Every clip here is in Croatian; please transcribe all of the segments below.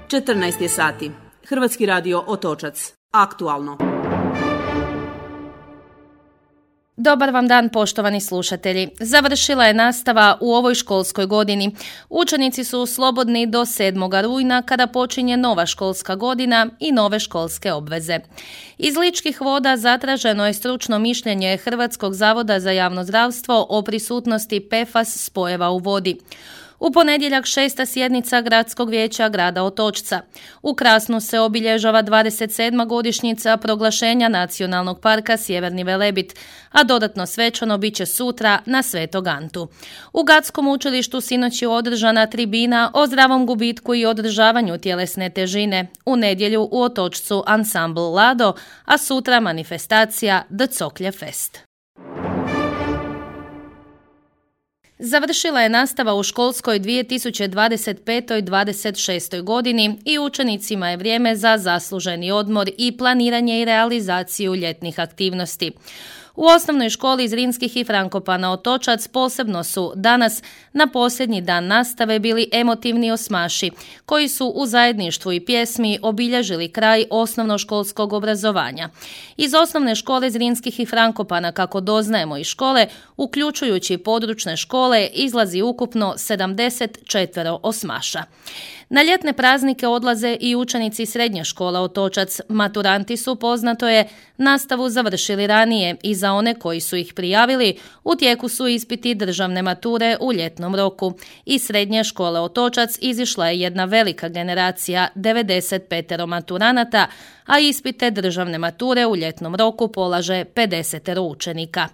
14 je sati. Hrvatski radio Otočac. Aktualno. Dobar vam dan, poštovani slušatelji. Završila je nastava u ovoj školskoj godini. Učenici su slobodni do 7. rujna kada počinje nova školska godina i nove školske obveze. Iz Ličkih voda zatraženo je stručno mišljenje Hrvatskog zavoda za javno zdravstvo o prisutnosti PFAS spojeva u vodi. U ponedjeljak 6. sjednica Gradskog vijeća grada Otočca. U Krasnu se obilježava 27. godišnjica proglašenja Nacionalnog parka Sjeverni Velebit, a dodatno svečano bit će sutra na Svetog Antu. U Gatskom učilištu sinoć je održana tribina o zdravom gubitku i održavanju tjelesne težine. U nedjelju u Otočcu ansambl Lado, a sutra manifestacija The Coklje Fest. Završila je nastava u školskoj 2025-26. godini i učenicima je vrijeme za zasluženi odmor i planiranje i realizaciju ljetnih aktivnosti. U osnovnoj školi Zrinskih i Frankopana Otočac posebno su danas, na posljednji dan nastave, bili emotivni osmaši, koji su u zajedništvu i pjesmi obilježili kraj osnovnoškolskog obrazovanja. Iz osnovne škole Zrinskih i Frankopana, kako doznajemo iz škole, uključujući područne škole, izlazi ukupno 74 osmaša. Na ljetne praznike odlaze i učenici srednje škola Otočac. Maturanti su, poznato je, nastavu završili ranije i za one koji su ih prijavili u tijeku su ispiti državne mature u ljetnom roku. Iz srednje škole Otočac izišla je jedna velika generacija, 95 maturanata, a ispite državne mature u ljetnom roku polaže 50 učenika.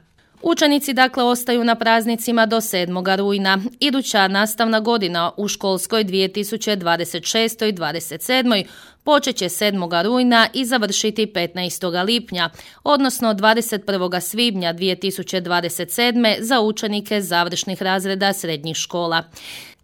Učenici dakle ostaju na praznicima do 7. rujna. Iduća nastavna godina u školskoj 2026. i 27. počet će 7. rujna i završiti 15. lipnja, odnosno 21. svibnja 2027. za učenike završnih razreda srednjih škola.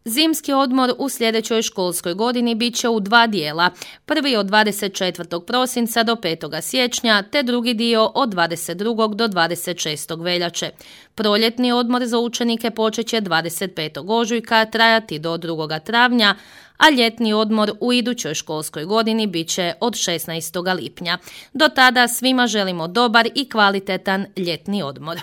Zimski odmor u sljedećoj školskoj godini bit će u dva dijela. Prvi od 24. prosinca do 5. siječnja, te drugi dio od 22. do 26. veljače. Proljetni odmor za učenike počet će 25. ožujka, trajati do 2. travnja, a ljetni odmor u idućoj školskoj godini bit će od 16. lipnja. Do tada svima želimo dobar i kvalitetan ljetni odmor.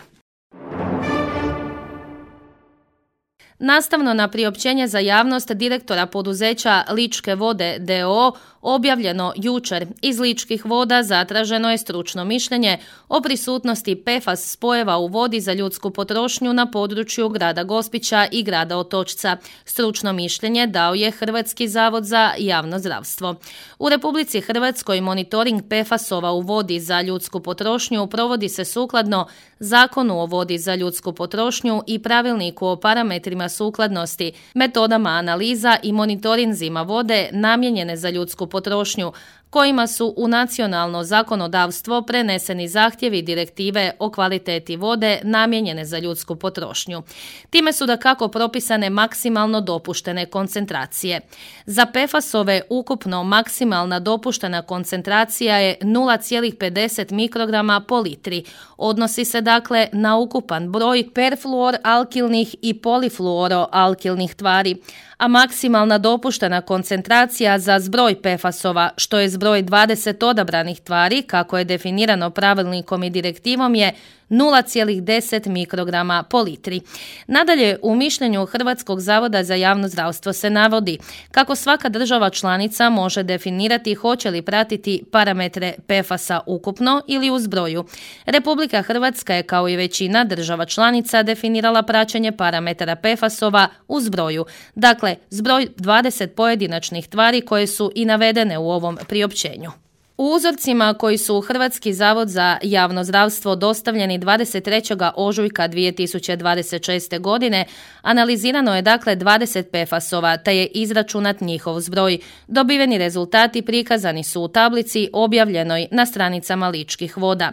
Nastavno na priopćenje za javnost direktora poduzeća Ličke vode d.o.o. objavljeno jučer, iz Ličkih voda zatraženo je stručno mišljenje o prisutnosti PFAS spojeva u vodi za ljudsku potrošnju na području grada Gospića i grada Otočca. Stručno mišljenje dao je Hrvatski zavod za javno zdravstvo. U Republici Hrvatskoj monitoring PFAS-ova u vodi za ljudsku potrošnju provodi se sukladno Zakonu o vodi za ljudsku potrošnju i Pravilniku o parametrima sukladnosti, metodama analiza i monitorinzima vode namijenjene za ljudsku potrošnju, kojima su u nacionalno zakonodavstvo preneseni zahtjevi direktive o kvaliteti vode namijenjene za ljudsku potrošnju. Time su dakako propisane maksimalno dopuštene koncentracije. Za PFAS-ove ukupno maksimalna dopuštena koncentracija je 0,50 mikrograma po litri. Odnosi se dakle na ukupan broj perfluoralkilnih i polifluoroalkilnih tvari, a maksimalna dopuštena koncentracija za zbroj PFAS-ova, što je zbroj 20 odabranih tvari, kako je definirano pravilnikom i direktivom, je 0,10 mikrograma po litri. Nadalje, u mišljenju Hrvatskog zavoda za javno zdravstvo se navodi kako svaka država članica može definirati hoće li pratiti parametre PFAS-a ukupno ili u zbroju. Republika Hrvatska je, kao i većina država članica, definirala praćenje parametara PFAS-ova u zbroju. Dakle, zbroj 20 pojedinačnih tvari koje su i navedene u ovom priopćenju. U uzorcima koji su u Hrvatski zavod za javno zdravstvo dostavljeni 23. ožujka 2026. godine, analizirano je dakle 20 PFAS-ova, te je izračunat njihov zbroj. Dobiveni rezultati prikazani su u tablici objavljenoj na stranicama Ličkih voda.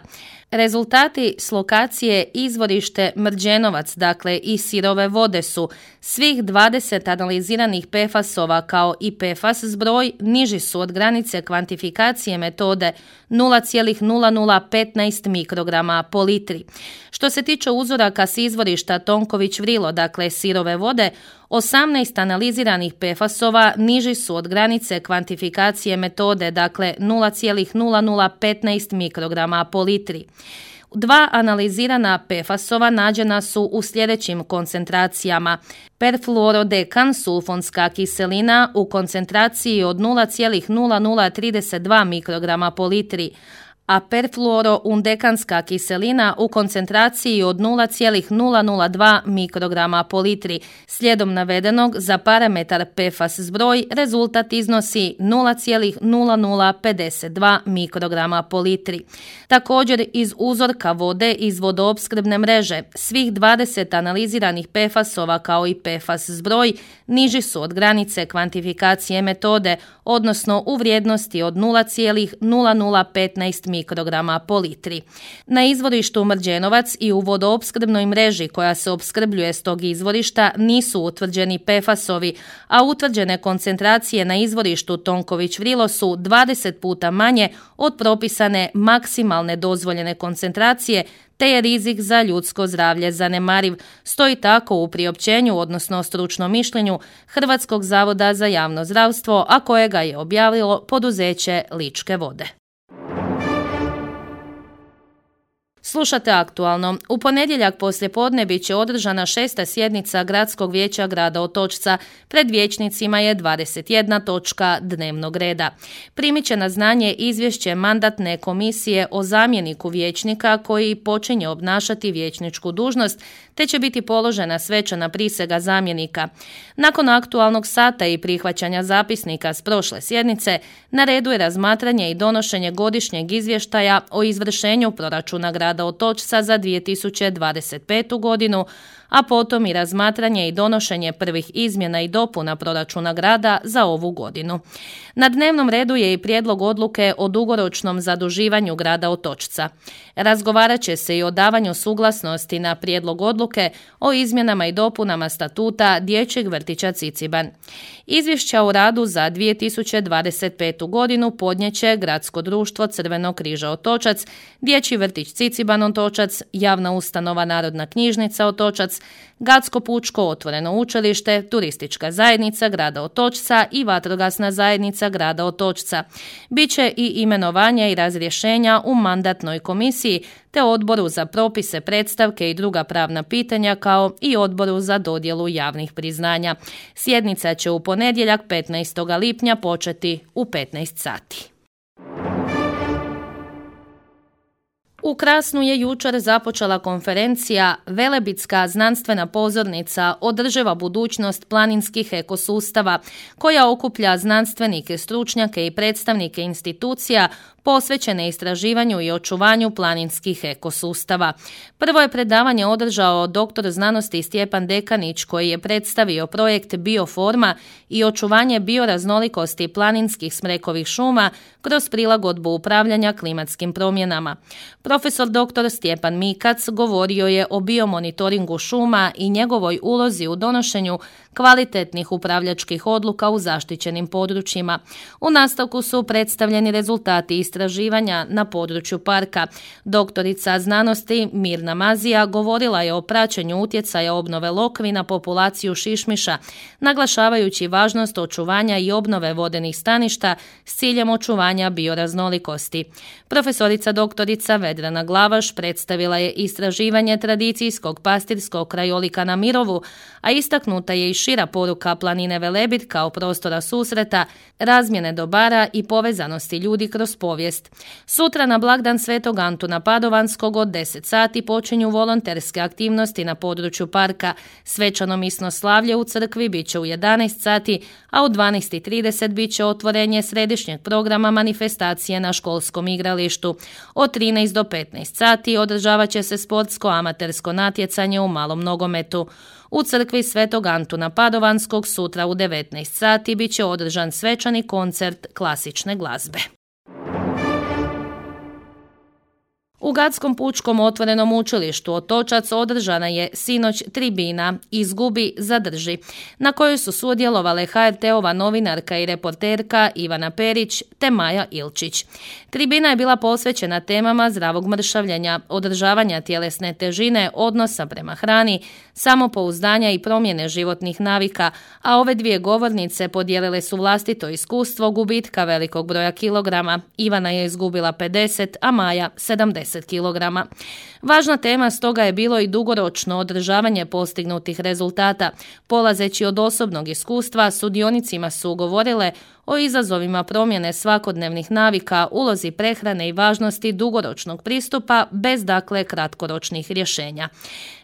Rezultati s lokacije izvorište Mrđenovac, dakle i Sirove vode, su svih 20 analiziranih PFAS-ova kao i PFAS zbroj niži su od granice kvantifikacije metode 0,0015 mikrograma po litri. Što se tiče uzoraka s izvorišta Tonković Vrilo, dakle Sirove vode, 18 analiziranih PFAS-ova niži su od granice kvantifikacije metode, dakle 0,0015 mikrograma po litri. 2 analizirana PFAS-ova nađena su u sljedećim koncentracijama: perfluorodekan sulfonska kiselina u koncentraciji od 0,0032 mikrograma po litri, a perfluoroundekanska kiselina u koncentraciji od 0,002 mikrograma po litri. Slijedom navedenog, za parametar PFAS zbroj rezultat iznosi 0,0052 mikrograma po litri. Također, iz uzorka vode iz vodoopskrbne mreže svih 20 analiziranih PFAS-ova kao i PFAS zbroj niži su od granice kvantifikacije metode, odnosno u vrijednosti od 0,0015 mikrograma po litri. Na izvorištu Mrđenovac i u vodoopskrbnoj mreži koja se opskrbljuje s tog izvorišta nisu utvrđeni PFAS-ovi, a utvrđene koncentracije na izvorištu Tonković-Vrilo su 20 puta manje od propisane maksimalne dozvoljene koncentracije, te je rizik za ljudsko zdravlje zanemariv, stoji tako u priopćenju, odnosno stručnom mišljenju Hrvatskog zavoda za javno zdravstvo, a kojega je objavilo poduzeće Ličke vode. Slušate Aktualno. U ponedjeljak poslijepodne bit će održana 6. sjednica Gradskog vijeća grada Otočca. Pred vijećnicima je 21 točka dnevnog reda. Primit će na znanje izvješće mandatne komisije o zamjeniku vijećnika koji počinje obnašati vijećničku dužnost, te će biti položena svečana prisega zamjenika. Nakon aktualnog sata i prihvaćanja zapisnika s prošle sjednice, na redu je razmatranje i donošenje godišnjeg izvještaja o izvršenju proračuna grada Otočca za 2025. godinu, a potom i razmatranje i donošenje prvih izmjena i dopuna proračuna grada za ovu godinu. Na dnevnom redu je i prijedlog odluke o dugoročnom zaduživanju grada Otočca. Razgovarat će se i o davanju suglasnosti na prijedlog odluke o izmjenama i dopunama statuta Dječjeg vrtića Ciciban. Izvješća o radu za 2025. godinu podnijeće Gradsko društvo Crvenog križa Otočac, Dječji vrtić Ciciban Otočac, Javna ustanova Narodna knjižnica Otočac, Gatsko pučko otvoreno učilište, Turistička zajednica grada Otočca i Vatrogasna zajednica grada Otočca. Biće i imenovanja i razrješenja u mandatnoj komisiji te odboru za propise, predstavke i druga pravna pitanja kao i odboru za dodjelu javnih priznanja. Sjednica će u ponedjeljak 15. lipnja početi u 15 sati. U Krasnu je jučer započela konferencija Velebitska znanstvena pozornica Održiva budućnost planinskih ekosustava, koja okuplja znanstvenike, stručnjake i predstavnike institucija posvećene istraživanju i očuvanju planinskih ekosustava. Prvo je predavanje održao doktor znanosti Stjepan Dekanić, koji je predstavio projekt Bioforma i očuvanje bioraznolikosti planinskih smrekovih šuma kroz prilagodbu upravljanja klimatskim promjenama. Profesor dr. Stjepan Mikac govorio je o biomonitoringu šuma i njegovoj ulozi u donošenju kvalitetnih upravljačkih odluka u zaštićenim područjima. U nastavku su predstavljeni rezultati istraživanja na području parka. Doktorica znanosti Mirna Mazija govorila je o praćenju utjecaja obnove lokvi na populaciju šišmiša, naglašavajući važnost očuvanja i obnove vodenih staništa s ciljem očuvanja bioraznolikosti. Profesorica doktorica Vedrana Glavaš predstavila je istraživanje tradicijskog pastirskog krajolika na Mirovu, a istaknuta je i šira poruka planine Velebit kao prostora susreta, razmjene dobara i povezanosti ljudi kroz povijest. Sutra na blagdan Svetog Antuna Padovanskog od 10 sati počinju volonterske aktivnosti na području parka. Svečano misno slavlje u crkvi bit će u 11 sati, a u 12:30 bit će otvorenje središnjeg programa manifestacije na školskom igralištu. Od 13 do 15 sati održavat će se sportsko amatersko natjecanje u malom nogometu. U crkvi Svetog Antuna Padovanskog sutra u 19 sati bit će održan svečani koncert klasične glazbe. U Gadskom pučkom otvorenom učilištu Otočac održana je sinoć tribina Izgubi, zadrži, na kojoj su sudjelovale HRT-ova novinarka i reporterka Ivana Perić te Maja Ilčić. Tribina je bila posvećena temama zdravog mršavljenja, održavanja tjelesne težine, odnosa prema hrani, samopouzdanja i promjene životnih navika, a ove dvije govornice podijelile su vlastito iskustvo gubitka velikog broja kilograma. Ivana je izgubila 50, a Maja 70 kilograma. Važna tema stoga je bilo i dugoročno održavanje postignutih rezultata. Polazeći od osobnog iskustva, sudionicima su govorile o izazovima promjene svakodnevnih navika, ulozi prehrane i važnosti dugoročnog pristupa bez kratkoročnih rješenja.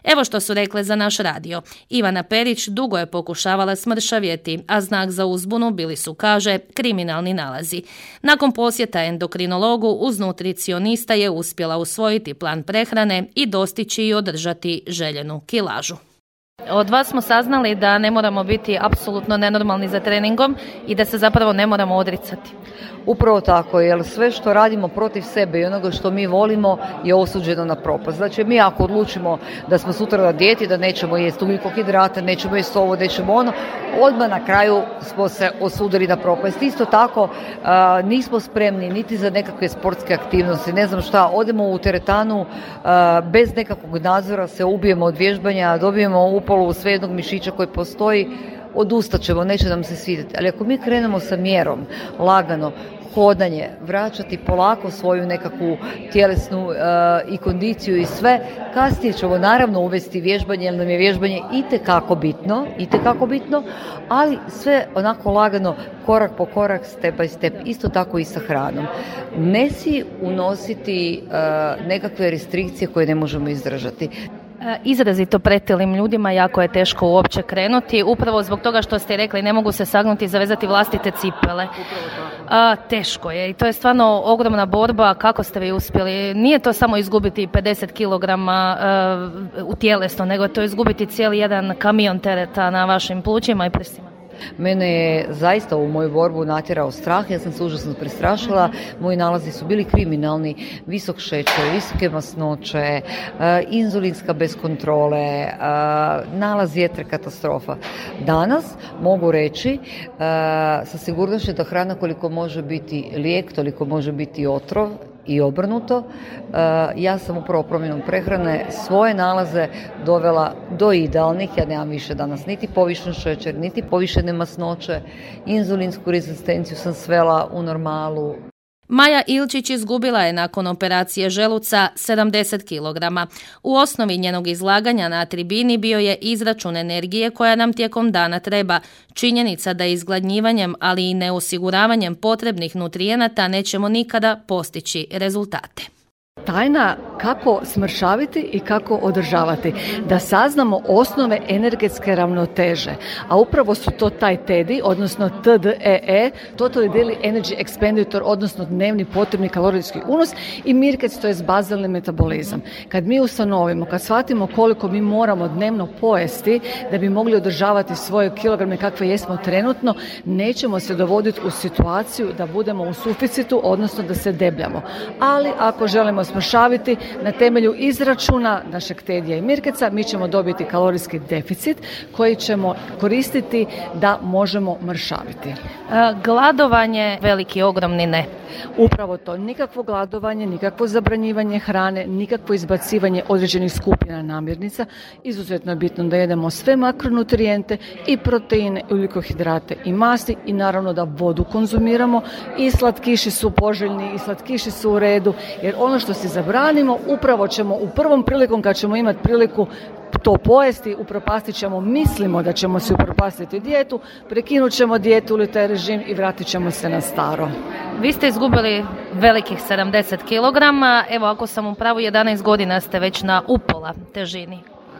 Evo što su rekle za naš radio. Ivana Perić dugo je pokušavala smršavjeti, a znak za uzbunu bili su, kaže, kriminalni nalazi. Nakon posjeta endokrinologu uz nutricionista je uspjela usvojiti plan prehrane i dostići i održati željenu kilažu. Od vas smo saznali da ne moramo biti apsolutno nenormalni za treningom i da se zapravo ne moramo odricati. Upravo tako, jer sve što radimo protiv sebe i onoga što mi volimo je osuđeno na propast. Znači, mi ako odlučimo da smo sutra na dijeti, da nećemo jesti ugljikohidrate, nećemo jesti ovo, nećemo ono, odmah na kraju smo se osudili na propast. Isto tako, nismo spremni niti za nekakve sportske aktivnosti, ne znam šta, odemo u teretanu, bez nekakvog nadzora se ubijemo od vježbanja, dobijemo upalu svejednog mišića koji postoji, odustat ćemo, neće nam se svidjeti. Ali ako mi krenemo sa mjerom, lagano, hodanje, vraćati polako svoju nekakvu tjelesnu i kondiciju i sve, kasnije ćemo naravno uvesti vježbanje, jer nam je vježbanje itekako bitno, ali sve onako lagano, korak po korak, step by step, isto tako i sa hranom. Ne si unositi nekakve restrikcije koje ne možemo izdržati. Izrazito pretilim ljudima jako je teško uopće krenuti, upravo zbog toga što ste rekli ne mogu se sagnuti i zavezati vlastite cipele. Teško je i to je stvarno ogromna borba. Kako ste vi uspjeli? Nije to samo izgubiti 50 kilograma u tjelesno, nego je to izgubiti cijeli jedan kamion tereta na vašim plućima i prsima. Mene je zaista u moju borbu natjerao strah, ja sam se užasno prestrašila, moji nalazi su bili kriminalni, visok šećer, visoke masnoće, inzulinska bez kontrole, nalaz jetre katastrofa. Danas mogu reći sa sigurnošću da hrana koliko može biti lijek, toliko može biti otrov i obrnuto. Ja sam upravo promjenom prehrane svoje nalaze dovela do idealnih, ja nemam više danas niti povišen šećer, niti povišene masnoće, inzulinsku rezistenciju sam svela u normalu. Maja Ilčić izgubila je nakon operacije želuca 70 kilograma. U osnovi njenog izlaganja na tribini bio je izračun energije koja nam tijekom dana treba. Činjenica da izgladnjivanjem, ali i neosiguravanjem potrebnih nutrijenata nećemo nikada postići rezultate. Tajna kako smršaviti i kako održavati, da saznamo osnove energetske ravnoteže, a upravo su to taj TEDI, odnosno TDEE, Total Daily Energy Expenditure, odnosno dnevni potrebni kalorijski unos, i MIRKEC, to je bazalni metabolizam. Kad mi ustanovimo, kad shvatimo koliko mi moramo dnevno pojesti da bi mogli održavati svoje kilograme kakve jesmo trenutno, nećemo se dovoditi u situaciju da budemo u suficitu, odnosno da se debljamo. Ali ako želimo smršaviti na temelju izračuna našeg TEDija i MIRKECA, mi ćemo dobiti kalorijski deficit koji ćemo koristiti da možemo mršaviti. Gladovanje, veliki, ogromni ne. Upravo to, nikakvo gladovanje, nikakvo zabranjivanje hrane, nikakvo izbacivanje određenih skupina namirnica. Izuzetno je bitno da jedemo sve makronutrijente i proteine, i ugljikohidrate i masti, i naravno da vodu konzumiramo. I slatkiši su poželjni, i slatkiši su u redu, jer ono što si zabranimo, upravo ćemo u prvom prilikom kad ćemo imati priliku to pojesti, upropastit ćemo, mislimo da ćemo si upropastiti dijetu, prekinut ćemo dijetu ili taj režim i vratit ćemo se na staro. Vi ste izgubili velikih 70 kilograma, evo ako sam u pravu 11 godina ste već na upola težini.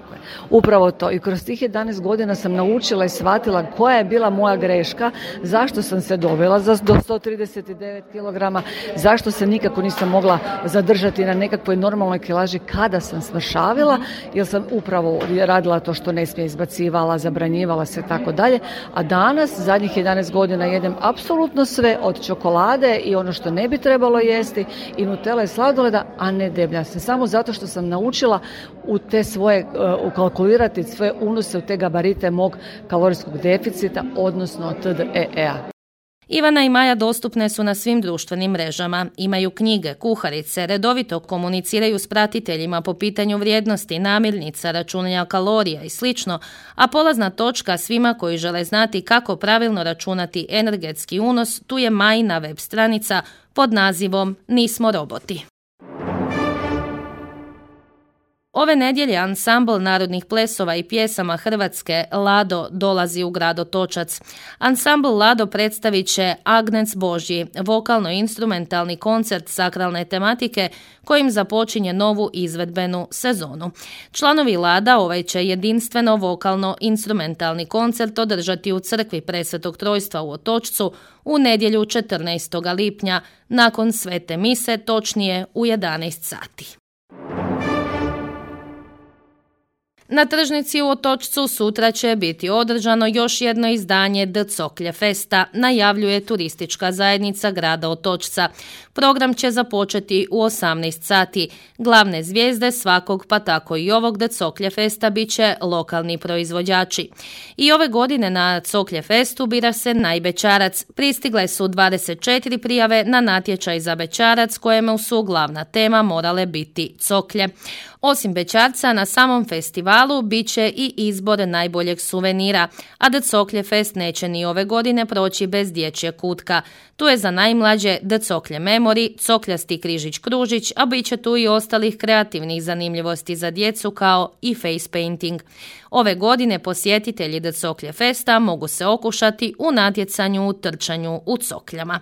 Tako je. Upravo to. I kroz tih 11 godina sam naučila i shvatila koja je bila moja greška, zašto sam se dovela do 139 kg, zašto se nikako nisam mogla zadržati na nekakvoj normalnoj kilaži kada sam smršavila, jer sam upravo radila to što ne smije, izbacivala, zabranjivala se tako dalje. A danas, zadnjih 11 godina jedem apsolutno sve, od čokolade i ono što ne bi trebalo jesti i nutele i sladoleda, a ne debljam se. Samo zato što sam naučila u te svoje, ukalkulirati svoje unose u te gabarite mog kalorijskog deficita, odnosno TDEE-a. Ivana i Maja dostupne su na svim društvenim mrežama. Imaju knjige, kuharice, redovito komuniciraju s pratiteljima po pitanju vrijednosti, namirnica, računanja kalorija i sl., a polazna točka svima koji žele znati kako pravilno računati energetski unos, tu je Majina web stranica pod nazivom Nismo roboti. Ove nedjelje ansambl narodnih plesova i pjesama Hrvatske Lado dolazi u grad Otočac. Ansambl Lado predstavit će Agnec Božji, vokalno-instrumentalni koncert sakralne tematike kojim započinje novu izvedbenu sezonu. Članovi Lada ovaj će jedinstveno vokalno-instrumentalni koncert održati u crkvi Presvetog Trojstva u Otočcu u nedjelju 14. lipnja nakon svete mise, točnije u 11 sati. Na tržnici u Otočcu sutra će biti održano još jedno izdanje Dcoklje festa, najavljuje turistička zajednica grada Otočca. Program će započeti u 18 sati. Glavne zvijezde svakog, pa tako i ovog Dcoklje festa, bit će lokalni proizvođači. I ove godine na Dcoklje festu bira se najbećarac. Pristigle su 24 prijave na natječaj za bećarac kojemu su glavna tema morale biti coklje. Osim bećarca, na samom festivalu bit će i izbor najboljeg suvenira, a Dcoklje fest neće ni ove godine proći bez dječje kutka. Tu je za najmlađe Dcoklje Memory, cokljasti križić kružić, a bit će tu i ostalih kreativnih zanimljivosti za djecu kao i face painting. Ove godine posjetitelji Dcoklje festa mogu se okušati u natjecanju u trčanju u cokljama.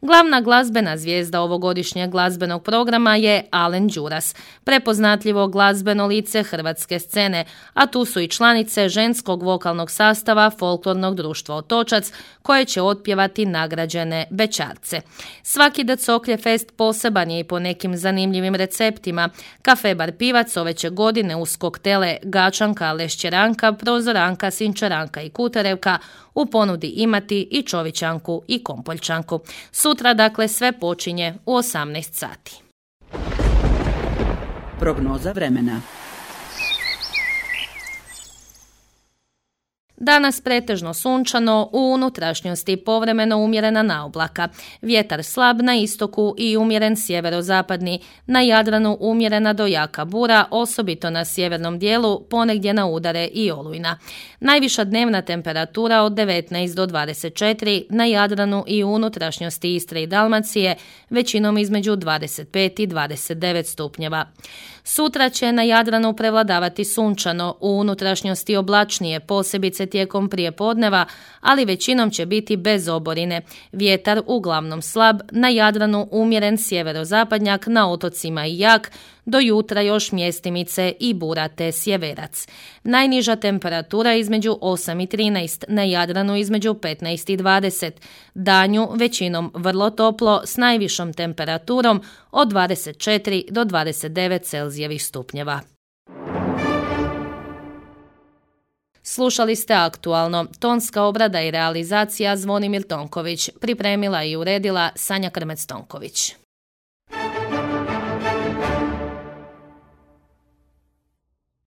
Glavna glazbena zvijezda ovogodišnjeg glazbenog programa je Alen Đuras, prepoznatljivo glazbeno lice hrvatske scene, a tu su i članice ženskog vokalnog sastava Folklornog društva Otočac, koje će otpjevati nagrađene bećarce. Svaki Dcoklje fest poseban je i po nekim zanimljivim receptima. Kafe Bar Pivac ove će godine uz koktele Gačanka, Lešćeranka, Prozoranka, Sinčaranka i Kuterevka u ponudi imati i čovićanku i kompoljčanku. Sutra dakle sve počinje u 18 sati. Prognoza vremena. Danas pretežno sunčano, u unutrašnjosti povremeno umjerena naoblaka. Vjetar slab na istoku i umjeren sjeverozapadni. Na Jadranu umjerena do jaka bura, osobito na sjevernom dijelu, ponegdje na udare i olujna. Najviša dnevna temperatura od 19 do 24, na Jadranu i u unutrašnjosti Istre i Dalmacije, većinom između 25 i 29 stupnjeva. Sutra će na Jadranu prevladavati sunčano, u unutrašnjosti oblačnije, posebice tijekom prijepodneva, ali većinom će biti bez oborine. Vjetar uglavnom slab, na Jadranu umjeren sjeverozapadnjak, na otocima i jak, do jutra još mjestimice i bura te sjeverac. Najniža temperatura između 8 i 13, na Jadranu između 15 i 20. Danju većinom vrlo toplo s najvišom temperaturom od 24 do 29 Celzijevih stupnjeva. Slušali ste Aktualno. Tonska obrada i realizacija Zvonimir Tonković. Pripremila i uredila Sanja Krmec-Tonković.